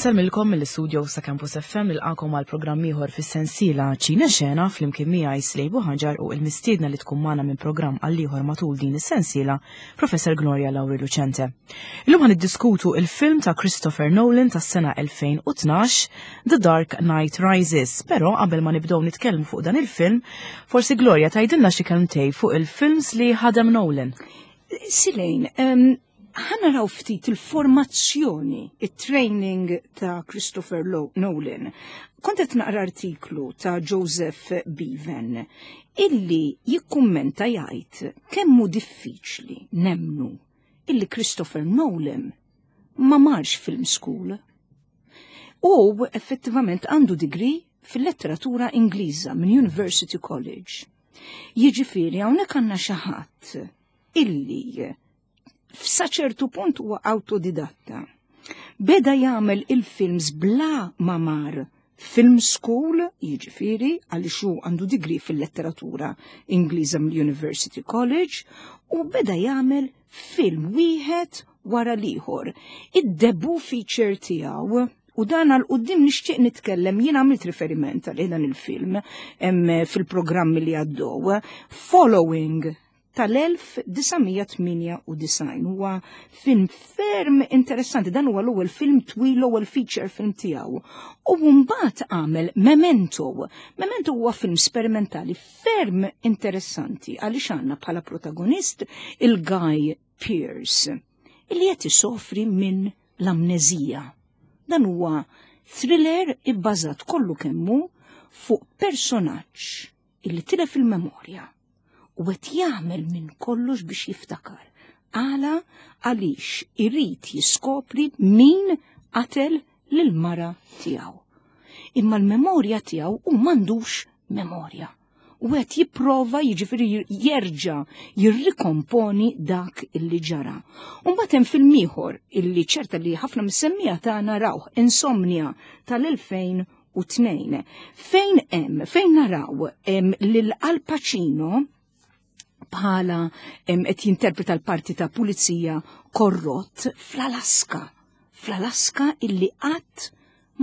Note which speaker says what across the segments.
Speaker 1: Insellmilkom mill-istudio sa' Campus FM nilqakom għal programm ieħor fis-sensiela Ċina Xena flimkien miegħi Slejbu Ħaġar u il-mistiedna li tkun magħna minn programm għal ieħor matul din is-sensiela, Professor Gloria Lauri Lucente. Illum ħan niddiskutu il-film ta' Christopher Nolan tas-sena 2012, The Dark Knight Rises. Però qabel ma nibdew nitkellmu fuq dan il-film, forsi Gloria tgħidilna xi kelmtej fuq il-films li ħadem Nolan.
Speaker 2: Silejn, ħa naraw ftit il-formazzjoni, il-training ta' Christopher Nolan. Kont qed naqra artiklu ta' Joseph Bevan illi jikkummenta jgħid kemm hu diffiċli nemnu illi Christopher Nolan ma marx film school. U effettivament għandu degree fil-letteratura Ingliża minn University College. Jiġifieri hawnhekk għandna xi ħadd illi f'sa ċertu punt huwa awtodidatta. Beda jagħmel il-films bla ma mar film school, jiġifieri għaliex hu għandu degree fil-letteratura Ingliża mill-University College, u beda jagħmel film wieħed wara l-ieħor. Id-debut feature tiegħu U dan għal qudiem nixtieq nitkellem jien għamilt riferiment għal dan il-film fil-programmi li għaddew. Following tal-1998 huwa film ferm interessanti, dan huwa l-ewwel film twil l-ewwel feature film tiegħu. U mbagħad għamel Memento. Memento huwa film sperimentali ferm interessanti għaliex għandna bħala protagonist il-Guy Pearce illi qed isofri minn l-amneżija. Dan huwa thriller ibbażat kollu kemmu fuq personaġġ illi tilef il-memorja u qed jagħmel minn kollox biex jiftakar. Għala għaliex irid jiskopri min qatel lil mara tiegħu. Imma l-memorja tiegħu u m'għandux memorja. U qed jipprova jiġifieri jerġa' jirrikomponi dak illi ġara. U mbagħad hemm film ieħor illi ċerta li ħafna mis-semmiegħa tagħna rawh Insomnia tal-2002. Fejn hemm, fejn naraw lil Al Pacino bħala qed jinterpreta l-parti ta' pulizija korrott fl-Alaska. Fl-Alaska illi qatt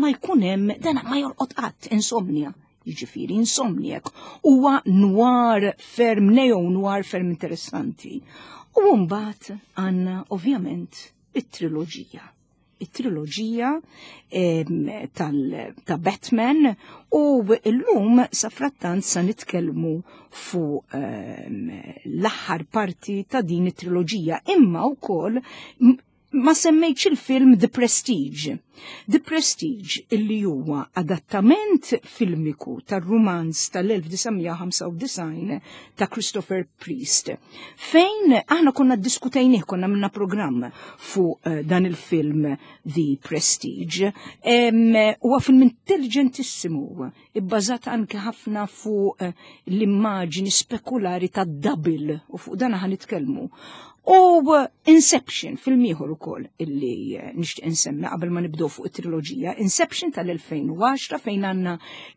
Speaker 2: ma jkun hemm dan ma jorqod qatt insomnia. Jiġifieri insomniac huwa noir ferm neo noir ferm interessanti. U mbagħad għandna ovvjament it-triloġija. It-triloġija ta' Batman u llum sa frattant sa nitkellmu fuq l-aħħar parti ta' din it-triloġija imma wkoll ma semmejtx il-film The Prestige. The Prestige illi huwa adattament filmiku tar-rumanz tal-1995 ta' Christopher Priest. Fejn aħna konna diskutejnih, konna minna programm fuq eh, dan il-film The Prestige. Huwa film intelligentissimu, ibbażat anke ħafna fuq eh, l-immaġini spekulari ta' double u fuq dan ħa nitkellmu. U eh, Inception, film ieħor ukoll illi eh, nixtieq insemmi qabel ma nibdew fuq it-triloġija, Inception tal-2010 fejn għandna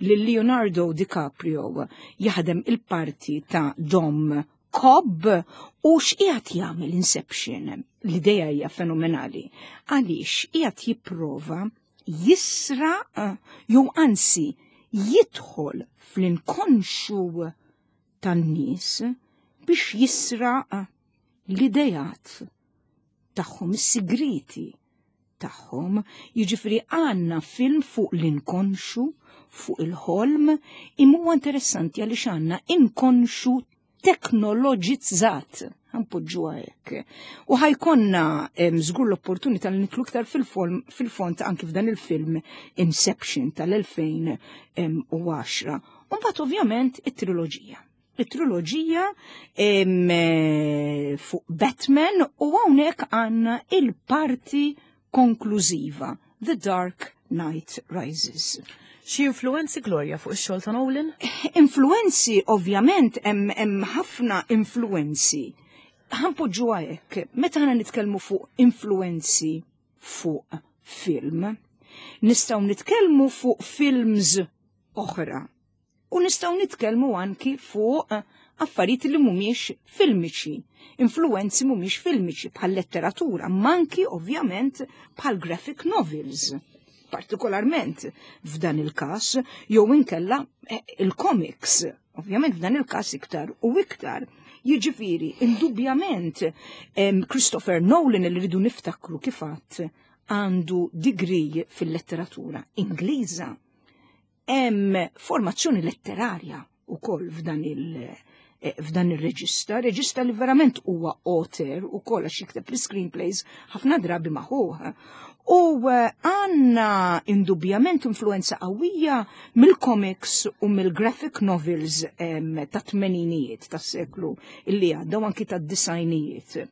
Speaker 2: lil Leonardo DiCaprio jaħdem il-parti ta' Dom Cobb u x'qiegħed jagħmel Inception. L-idea hija fenomenali. Għaliex qiegħed jipprova jisraq eh, jew anzi jidħol fl-inkonxu tan-nies biex jisraq l-idejat tagħhom, is-sigriti tagħhom. Jiġifieri għandna film fuq l-inkonxu, fuq il-ħolm, imma huwa interessanti għaliex għandna inkonxu teknoloġizzat ħanpoġġuha hekk. U ħajkonna żgur l-opportunità li nidħlu iktar fil-fond anki f'dan il-film Inception tal-2010. U mbagħad ovvjament it-triloġija. It-triloġija eh, fuq Batman u hawnhekk għandna il-parti konklużiva, The Dark Knight Rises.
Speaker 1: Xi influenzi Gloria fuq ix-xogħol ta' Nolan?
Speaker 2: Influenzi ovvjament hemm ħafna influenzi. Ħanpoġġuha hekk, meta aħna nitkellmu fuq influenzi fuq film, nistgħu nitkellmu fuq films oħra. U nistgħu nitkellmu anki fuq affarijiet li mhumiex filmiċi, influenzi mhumiex filmiċi bħal letteratura, ma anki ovvjament bħal graphic novels. Partikolarment f'dan il-każ, jew inkella eh, il-comics, ovvjament f'dan il-każ iktar u iktar. Jiġifieri, indubjament Christopher Nolan li rridu niftakru kif għadd għandu degree fil-letteratura Ingliża. Hemm formazzjoni letterarja ukoll f'dan il- eh, f'dan ir-reġista, reġista li verament huwa author ukoll għax jikteb l-screenplays ħafna drabi maħuħ. U eh, għanna indubjament influenza qawwija mill-comics u mill-graphic novels ta' tmeninijiet tas-seklu illi għadda u anki tad-disajnijiet.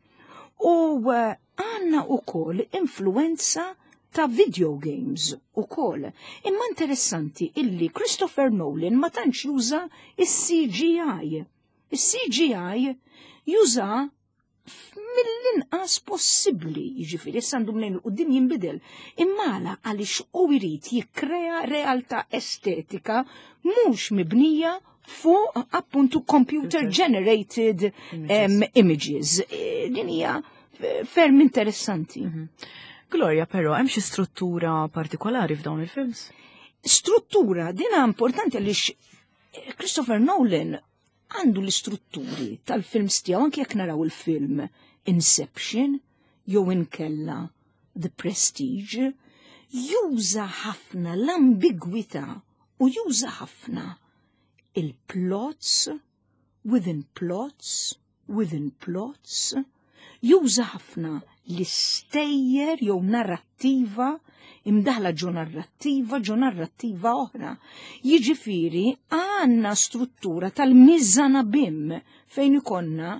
Speaker 2: U eh, għanna ukoll influenza ta' video games ukoll. Imma interessanti illi Christopher Nolan ma tantx juża is-CGI. Is-CGI juża mill-inqas possibbli, jiġifieri issa għandu mnejn il-qudiem jinbidel. Imma għaliex u jrid jikkrea realtà estetika mhux mibnija fuq appuntu computer generated images. E, din hija ferm interessanti. Mhm.
Speaker 1: Gloria, però, hemm xi struttura partikolari f'dawn il-films?
Speaker 2: Struttura, dina importanti għaliex Christopher Nolan għandu l-istrutturi tal-films tiegħu anke jekk naraw il-film Inception jew inkella The Prestige, juża ħafna l-ambigwità u juża ħafna il-plots within plots within plots, juża ħafna l-istejjer jew narrattiva imdaħla ġo narrattiva ġo narrattiva oħra. Jiġifieri għandna struttura tal-miżanabim fejn ikonna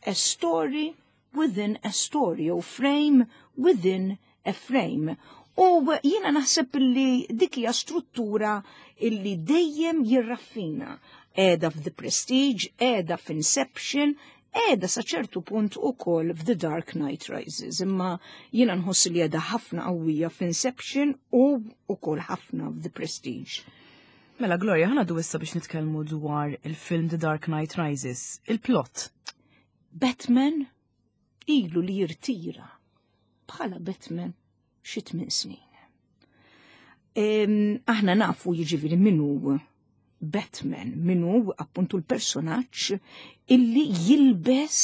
Speaker 2: a story within a story jew frame within a frame. U jiena naħseb li dik hija struttura illi dejjem jirraffina. Qiegħda f'The Prestige, qiegħda f'Inception, qiegħda sa ċertu punt ukoll f'The Dark Knight Rises. Imma jiena nħoss li qiegħda ħafna qawwija f'Inception u ukoll ħafna f'The Prestige.
Speaker 1: Mela Gloria, ħana du issa biex nitkellmu dwar il-film The Dark Knight Rises, il-plot.
Speaker 2: Batman ilu li jirtira bħala Batman xi tmien snin. Aħna nafu jiġifieri min hu Batman, min hu appuntu l-personaġġ illi jilbes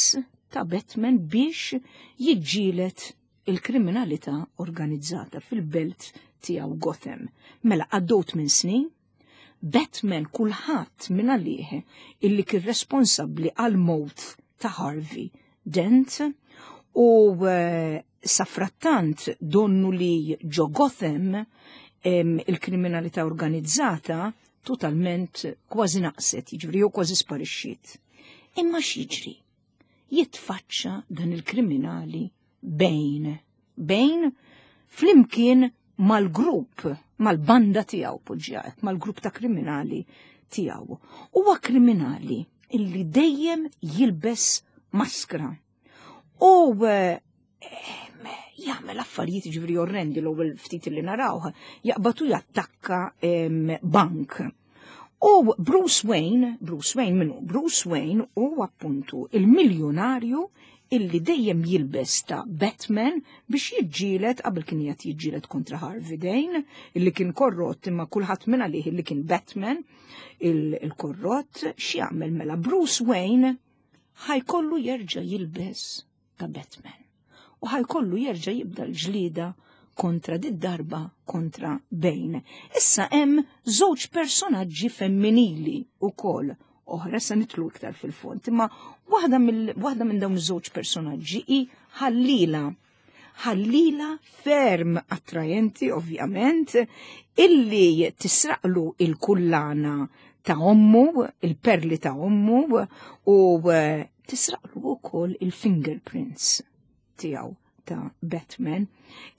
Speaker 2: ta' Batman biex jiġġielet il-kriminalità organizzata fil-belt tiegħu Gotham. Mela għaddew tmien snin, Batman kulħadd minn għalih illi kien responsabbli għal mowt ta' Harvey Dent u eh, safrattant donnu li ġo Gotham il-kriminalità organizzata totalment kważi naqset, jiġifieri jew kważi sparixxiet. Imma x'jiġri? Jitfaċċa dan il-kriminali Bane. Bane flimkien mal-grupp, mal-banda tiegħu poġġjat, mal-grupp ta' kriminali tiegħu. Huwa kriminali illi dejjem jilbes maskra. U eh, jagħmel affarijiet ġifieri orrendi l-ewwel ftit li narawh, jaqbatu jattakka bank. U Bruce Wayne, Bruce Wayne minnu, Bruce Wayne u appuntu il-miljonarju illi dejjem jilbes ta' Batman biex jiġġielet qabel kien qed jiġġielet kontra Harvey Dane, illi kien korrott imma kulħadd minn għalih illi kien Batman, il-korrott, x'jagħmel mela Bruce Wayne ħajkollu jerġa' jilbes ta' Batman u ħajkollu jerġa' jibda l-ġlieda kontra did-darba kontra Bane. Issa hemm żewġ personaġġi femminili wkoll oħra se nitlu iktar fil-fond, imma waħda minn dawn iż-żewġ personaġġi hi ħallila. Ħallila ferm attrajenti ovvjament illi tisraqlu il-kullana ta' ommu, il-perli ta' ommu u eh, tisraqlu wkoll il-fingerprints tiegħu ta' Batman.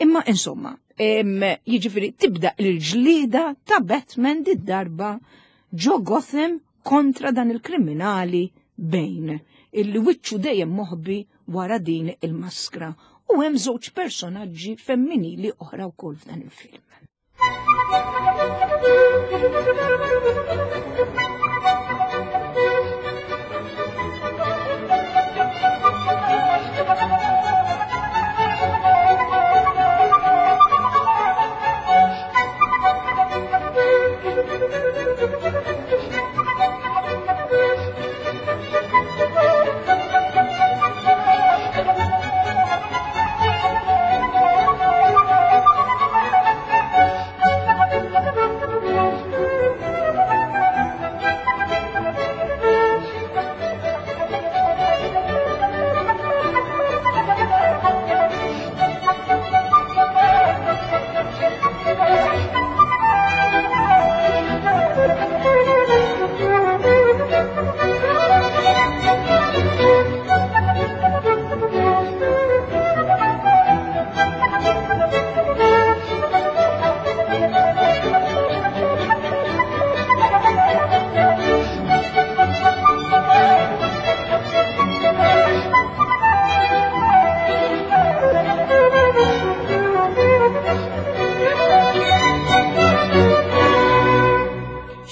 Speaker 2: Imma insomma, jiġifieri tibda l-ġlieda ta' Batman did-darba ġo Gotham kontra dan il-kriminali Bane, illi wiċċu dejjem moħbi wara din il-maskra. U hemm żewġ personaġġi femminili oħra wkoll f'dan il-film.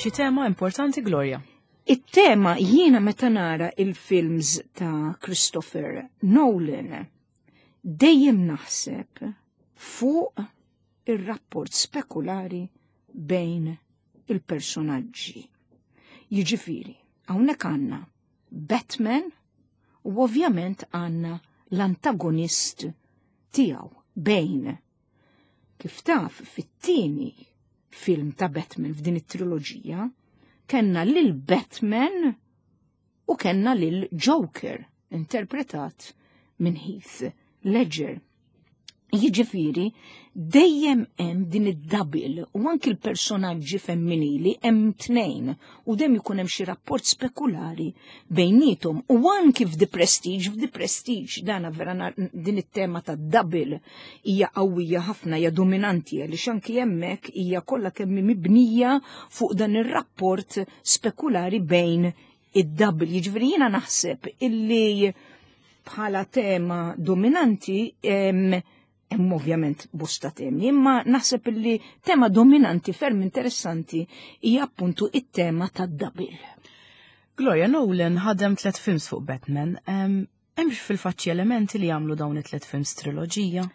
Speaker 1: Xi tema importanti Gloria?
Speaker 2: It-tema jiena meta nara il-films ta' Christopher Nolan dejjem naħseb fuq ir-rapport spekulari bejn il-personaġġi. Jiġifieri, hawnhekk għandna Batman u ovvjament għandna l-antagonist tiegħu Bane. Kif taf fit-tieni film ta' Batman f'din it-triloġija, kellna lil Batman u kellna lil Joker interpretat minn Heath Ledger. Jiġifieri dejjem hemm din id-double u anki l-personaġġi femminili hemm tnejn u dejjem ikun hemm xi rapport spekulari bejnietom u anki f'The Prestige, f'The Prestige dana vera din it-tema ta' double hija qawwija ħafna hija dominanti għaliex anki hemmhekk hija kollha kemm mibnija fuq dan ir-rapport spekulari bejn id-double. Jiġifieri jiena naħseb illi bħala tema dominanti hemm ovvjament bosta temi, imma naħseb illi tema dominanti ferm interessanti hija appuntu it-tema tad-double.
Speaker 1: Gloria Nolan ħadem tlet films fuq Batman. Hemmx fil-faċċi elementi li jagħmlu dawn it-tlet films triloġija?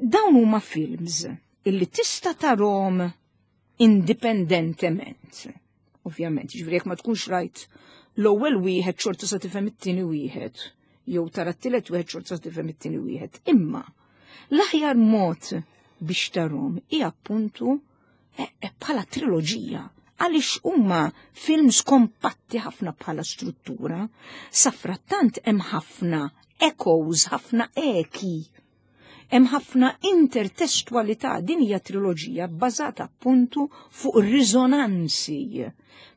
Speaker 2: Dawn huma films illi tista' tarhom indipendentement. Ovvjament, ġifieri jekk ma tkunx rajt l-ewwel wieħed xorta sa tifhem it-tieni wieħed, jew tara t-tielet wieħed xorta sa tifhem it-tieni wieħed. Imma l-aħjar mod biex tarhom hija appuntu eh, eh, bħala triloġija għaliex huma films kompatti ħafna bħala struttura, safrattant hemm ħafna echoes, ħafna eki Hemm ħafna intertestwalità din hija triloġija bbażata appuntu fuq riżonanzi.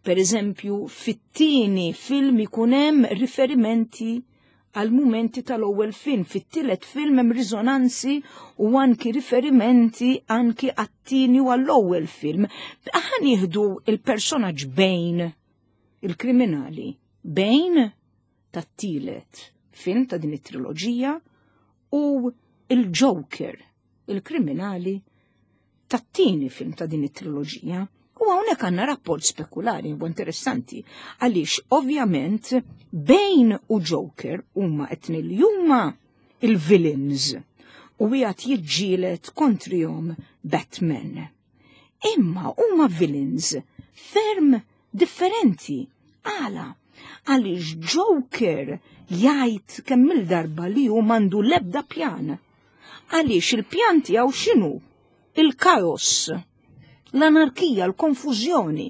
Speaker 2: Per eżempju, fit-tieni film ikun hemm riferimenti għal mumenti tal-ewwel film, fit-tielet film hemm riżonanzi u anki riferimenti anki għat-tieni u għall-ewwel film. Aħna nieħdu il-personaġġ bejn il-kriminali, bejn tat-tielet film ta' din it-triloġija u il-Joker, il-kriminali tat-tieni film ta' din it-triloġija. U hawnhekk għandna rapport spekulari u interessanti għaliex ovvjament Bane u Joker huma qed li huma il-villains u qiegħed jiġġieled kontrihom Batman. Imma huma villains ferm differenti. Għala? Għaliex Joker jgħid kemm il-darba li hu m'għandu l-ebda pjan. Għaliex il-pjan tiegħu x'inhu? Il-kaos, l-anarkija, l-konfużjoni.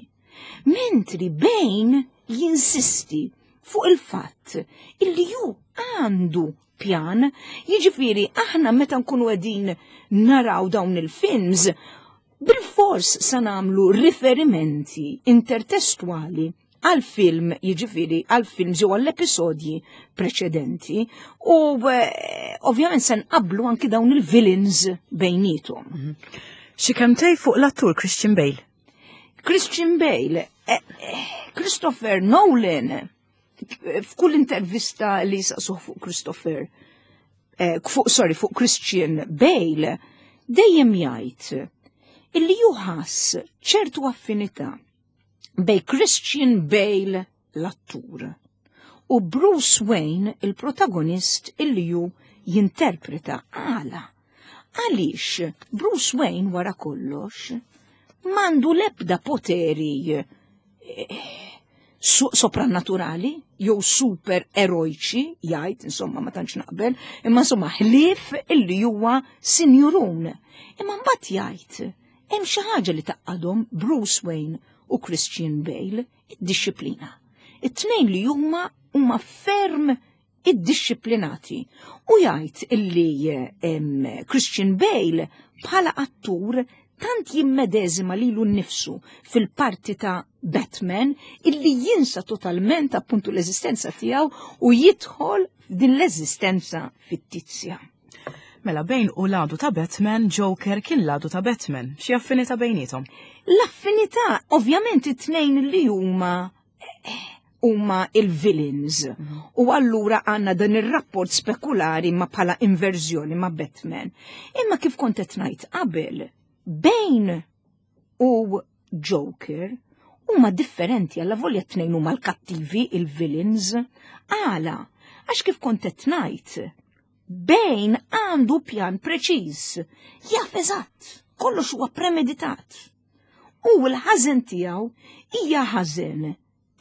Speaker 2: Mentri Bane jinsisti fuq il-fatt illi ju għandu pjan, jiġifieri aħna meta nkunu qegħdin naraw dawn il-films, bil-fors sa nagħmlu riferimenti intertestwali għal film jiġifieri għal films jew għall episodji preċedenti u eh, ovvjament se nqablu anki dawn il-villains bejnietom. Mhm.
Speaker 1: Xi kemm fuq l-attur Christian Bale?
Speaker 2: Christian Bale, eh, eh, Christopher Nolan, f'kull intervista li saqsuh fuq Christopher, eh, fuq, sorry, fuq Christian Bale, dejjem jgħid illi juħass ċertu affinità bej Christian Bale l-attur u Bruce Wayne il-protagonist illi ju jinterpreta għala. Għaliex Bruce Wayne wara kollox mandu lebda poteri eh, soprannaturali jew super erojċi jgħid insomma ma tantx naqbel, imma insomma ħlief illi huwa sinjurun. Imma mbagħad jgħid hemm xi ħaġa li taqqadhom Bruce Wayne u Christian Bale, id-dixxiplina. It-tnejn li huma huma ferm iddixxiplinati u jgħid illi Christian Bale bħala attur tant jimmedeżima lilu nnifsu fil-parti ta' Batman illi jinsa totalment appuntu l-eżistenza tiegħu u jidħol f'din l-eżistenza fittizja.
Speaker 1: Mela bejn u l-għadu ta' Batman, Joker kien l-għadu ta' Batman. Xi affinità bejnietom?
Speaker 2: L-affinità, ovvjament it-tnejn li huma huma il-villains. U allura għanna dan ir-rapport spekulari ma bħala inverżjoni ma' Batman. Imma kif kont qed ngħid qabel, Bane u Joker Huma differenti alla volja t-tnejn huma l-kattivi, il-villains. Għala, għax kif kont qed ngħid, Bane għandu pjan preċiż, jaf eżatt, kollox huwa premeditat. U l-ħażen tiegħu hija ħażen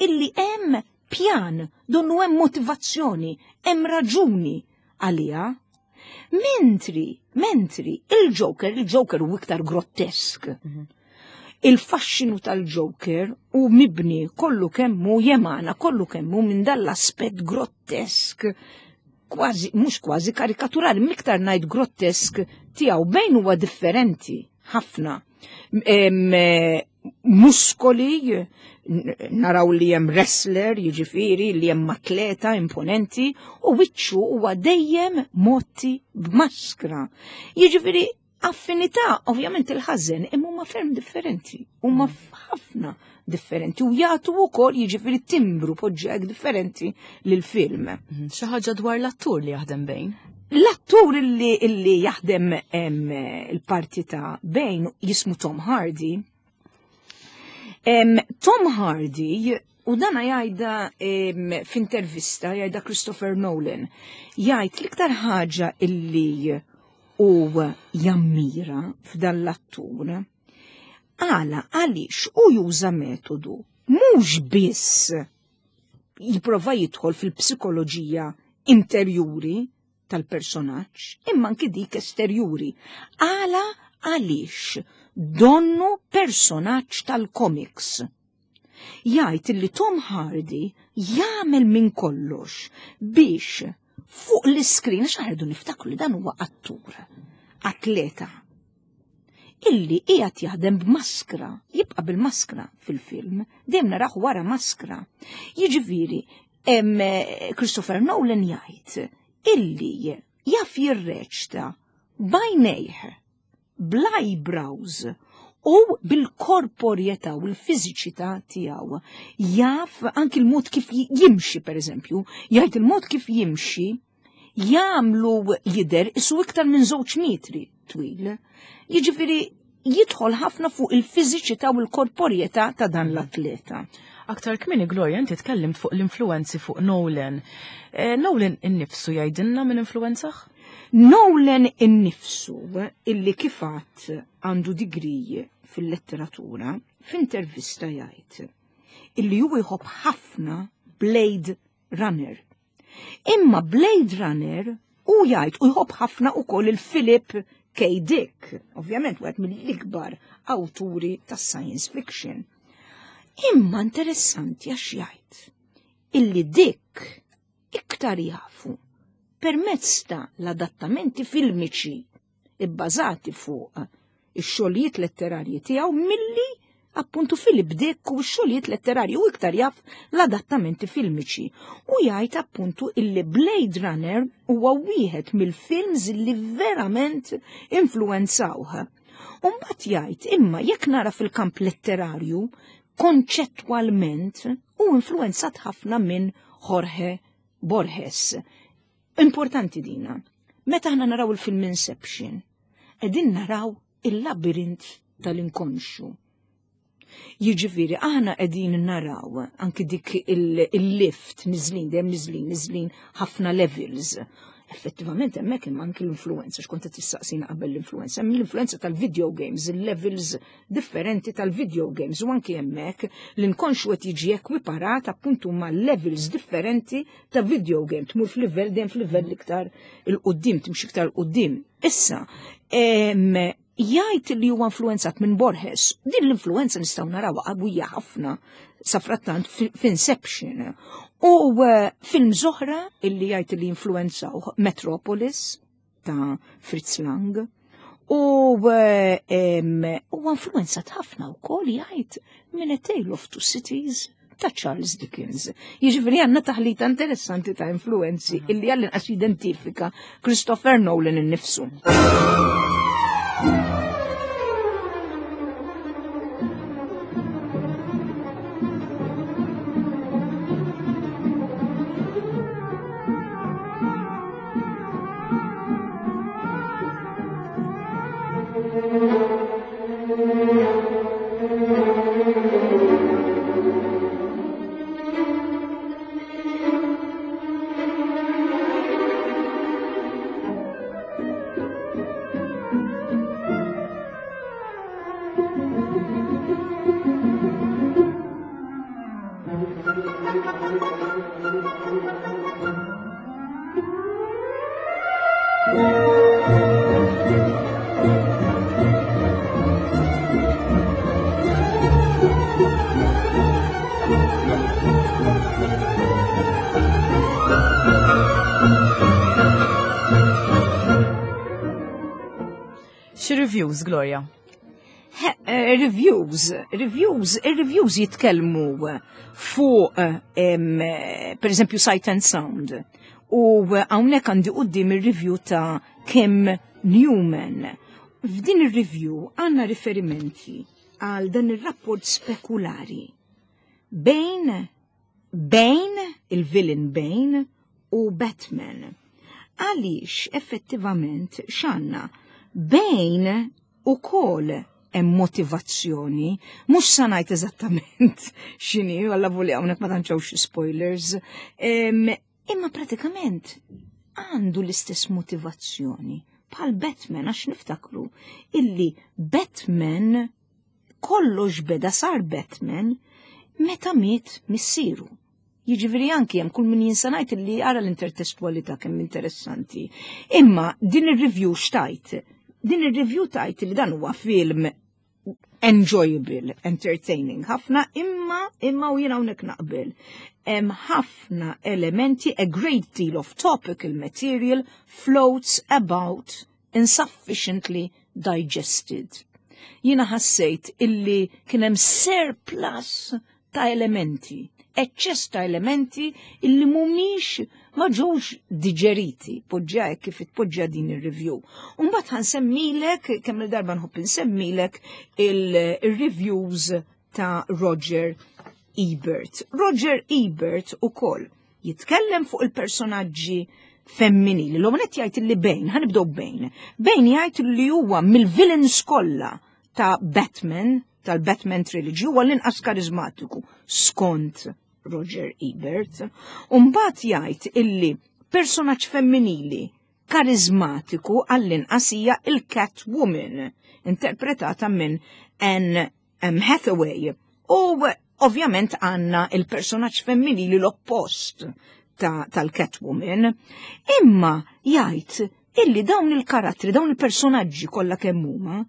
Speaker 2: illi hemm pjan, donnu hemm motivazzjoni, hemm raġuni għaliha. Mentri, mentri, il-Joker, il-Joker hu iktar grottesk. Il-faxxinu tal-Joker hu mibni kollu kemmu jemana, kollu kemmu minn dal-aspett grottesk, kważi, mhux kważi karikaturali, miktar ngħid grottesk tiegħu bejn huwa differenti ħafna. Muskoli, naraw li hemm wrestler, jiġifieri li hemm atleta imponenti, u wiċċu huwa dejjem motti b'maskra. Jiġifieri affinità, ovvjament il-ħażen, imma huma ferm differenti, huma ħafna differenti u jagħtu wkoll jiġifieri timbru poġġek differenti lill-film.
Speaker 1: Mhm. Xi ħaġa dwar l-attur li jaħdem bejn?
Speaker 2: L-attur illi, illi jaħdem il-parti ta' Bane jismu Tom Hardy. Tom Hardy, u dana jgħidha f'intervista, jgħidha Christopher Nolan, jgħid l-iktar ħaġa illi u jammira f'dan l-attur. Għala, għaliex u juża metodu mhux biss jipprova jidħol fil-psikoloġija interjuri tal-personaġġ, imma anki dik esterjuri. Għala għaliex donnu personaġġ tal-komiks. Jgħid li Tom Hardy jagħmel minn kollox biex fuq l-iskrin, għax ħardu niftakru li dan huwa attur, atleta, illi qiegħed jaħdem b'maskra, jibqa' bil-maskra fil-film, dejjem narah wara maskra. Jiġifieri, Christopher Nolan jgħid illi jaf jirreċta b'għajnejh, bl-eyebrows u bil-korporjetà u l-fiżiċità tiegħu. Jaf anki l-mod kif jimxi, per eżempju, jgħid il-mod kif jimxi jagħmlu jidher isu iktar minn żewġ metri twil. Jiġifieri jidħol ħafna fuq il-fiżiċità u l-korporjetà ta' dan l-atleta.
Speaker 1: Aktar kmieni Gloria inti tkellimt fuq l-influenzi fuq Nolan. Eh, Nolan innifsu jgħidilna minn influenzah?
Speaker 2: Nolan innifsu illi kifat għandu degree fil-letteratura f'intervista jgħid illi hu jħobb ħafna Blade Runner. Imma Blade Runner u jgħid u jħobb ħafna ukoll il-Philip K. Dick, ovvjament wieħed mill-ikbar awturi tas-science fiction. Imma interessanti għax jgħid illi Dick iktar jafu permezz ta' l-adattamenti filmiċi ibbażati fuq ix-xogħlijiet letterarji tiegħu milli appuntu Philip Dick u x-xogħlijiet letterarji u iktar jaf l-adattamenti filmiċi. U jgħid appuntu illi Blade Runner huwa wieħed mill-films li verament influenzawh. U mbagħad jgħid imma jekk nara fil-kamp letterarju konċettwalment u influenzat ħafna minn Jorge Borges. Importanti dina. Meta aħna naraw il-film Inception, qegħdin naraw il-labirint tal-inkonxju. Jiġifieri aħna qegħdin naraw anki dik il-lift niżlin dejjem niżlin niżlin ħafna levels. Effettivament hemmhekk hemm anki l-influenza x'kont qed tistaqsina qabel l-influenza, hemm l-influenza tal-video games, il-levels differenti tal-video games u anki hemmhekk l-inkonxju qed jiġi ekwiparat appuntu ma' levels differenti ta' video game, tmur f'livell dejjem f'livell iktar il-qudiem, timxi iktar il-qudiem. Issa, jgħid li huwa influenzat minn Borges. Din l-influenza nistgħu narawha qawwija ħafna sa frattant f'Inception. U eh, film oħra illi jgħid li influenzaw Metropolis ta' Fritz Lang. U eh, huwa influenzat ħafna wkoll jgħid minn A Tale of Two Cities ta' Charles Dickens. Jiġifieri għandna taħlita interessanti ta' influenzi illi għall-inqas jidentifika Christopher Nolan innifsu.
Speaker 1: Ir-reviews, Gloria.
Speaker 2: Eh, reviews, reviews, reviews jitkellmu fuq eh, per eżempju Sight and Sound. U hawnhekk għandi quddiem ir-review ta' Kim Newman. F'din ir-review għandna riferimenti għal dan ir-rapport spekulari bejn Bane, il-villain Bane, u Batman. Għaliex effettivament x'għandna? Bane ukoll hemm motivazzjoni, mhux sa ngħid eżattament x'inhi, alla voli hawnhekk ma tantx spoilers, imma pratikament għandu l-istess motivazzjoni bħal Batman għax niftakru illi Batman kollox beda sar Batman meta miet missieru. Jiġifieri anki hemm kull min jinsa ngħid li ara l-intertestwalità kemm interessanti. Imma din ir-review xtajt? Din ir-review tajt li dan huwa film enjoyable, entertaining ħafna, imma imma u jiena hawnhekk naqbel. Hemm ħafna elementi, a great deal of topical material floats about insufficiently digested. Jiena ħassejt illi kien hemm surplus ta' elementi, eċċess ta' elementi illi mhumiex ma ġewx diġeriti, poġġa hekk kif itpoġġa din ir-review. U mbagħad ħansemmilek kemm il-darba nħobb insemmilek il-reviews ta' Roger Ebert. Roger Ebert ukoll jitkellem fuq il-personaġġi femminili. L-għonet jgħid li Bane, ħanibdew Bane. Bane jgħid li huwa mill-villains kollha ta' Batman, tal-Batman Trilogy, huwa l-inqas karizmatiku skont Roger Ebert. Umbagħad jgħid illi personaġġ femminili karizmatiku għall-inqas hija il-Catwoman, interpretata minn Anne M. Hathaway. U ovvjament għanna il-personaġġ femminili l-oppost tal-Catwoman. Imma jgħid illi dawn il-karattri, dawn il-personaġġi kollha kemm huma,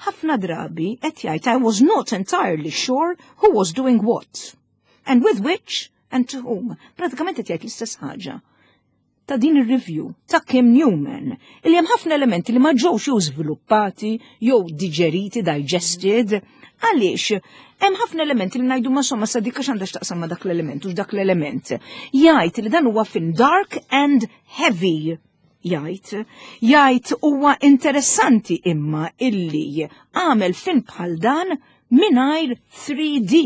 Speaker 2: ħafna drabi qed jgħid I was not entirely sure who was doing what. And with which and to whom. Pratikament qed jgħid l-istess ħaġa ta' din ir-review ta' Kim Newman, illi hemm ħafna elementi li ma ġewx jew żviluppati jew diġeriti, digested, għaliex hemm ħafna elementi li ngħidu ma somma sa dik għax għandha x'taqsam ma' dak l-element u dak l-element. Jgħid li dan huwa film dark and heavy jgħid, jgħid huwa interessanti imma illi għamel film bħal dan mingħajr 3D.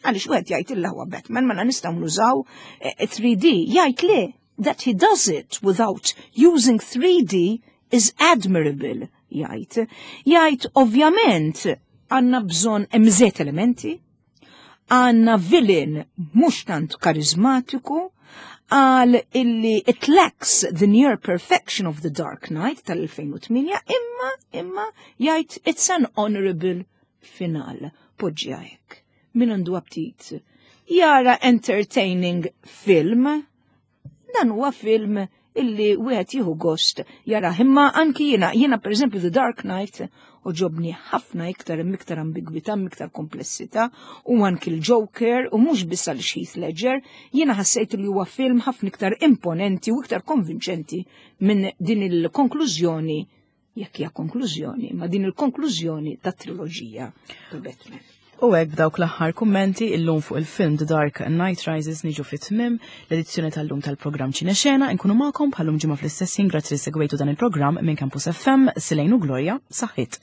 Speaker 2: Għaliex wieħed jgħid illa huwa Batman mela nistgħu nużaw 3D. Eh, jgħid le that he does it without using 3D is admirable, jgħid. Jgħid ovvjament għandna bżonn hemm elementi, għandna villain mhux tant karizmatiku, għal illi it lacks the near perfection of the Dark Knight tal-2008 imma imma jgħid it's an honorable final. Poġġi hekk. Min għandu aptit jara entertaining film, dan huwa film illi wieħed jieħu gost jara imma anki jiena jiena pereżempju The Dark Knight oġobni ħafna iktar hemm iktar ambigwità, iktar komplessità u anki l-Joker u mhux biss għal Heath Ledger, jiena ħassejt li huwa film ħafna iktar imponenti u iktar konvinċenti minn din il-konklużjoni jekk hija konklużjoni, ma din il-konklużjoni ta' triloġija ta' Batman.
Speaker 1: U hekk b'dawk l-aħħar kummenti illum fuq il-film The Dark Knight Rises niġu fit-tmim l-edizzjoni tal-lum tal-programm Ċinexena nkunu magħkom bħalum ġimgħa fl-istess ħin grazzi li segwejtu dan il-programm minn Campus FM Silejn u Gloria saħħit.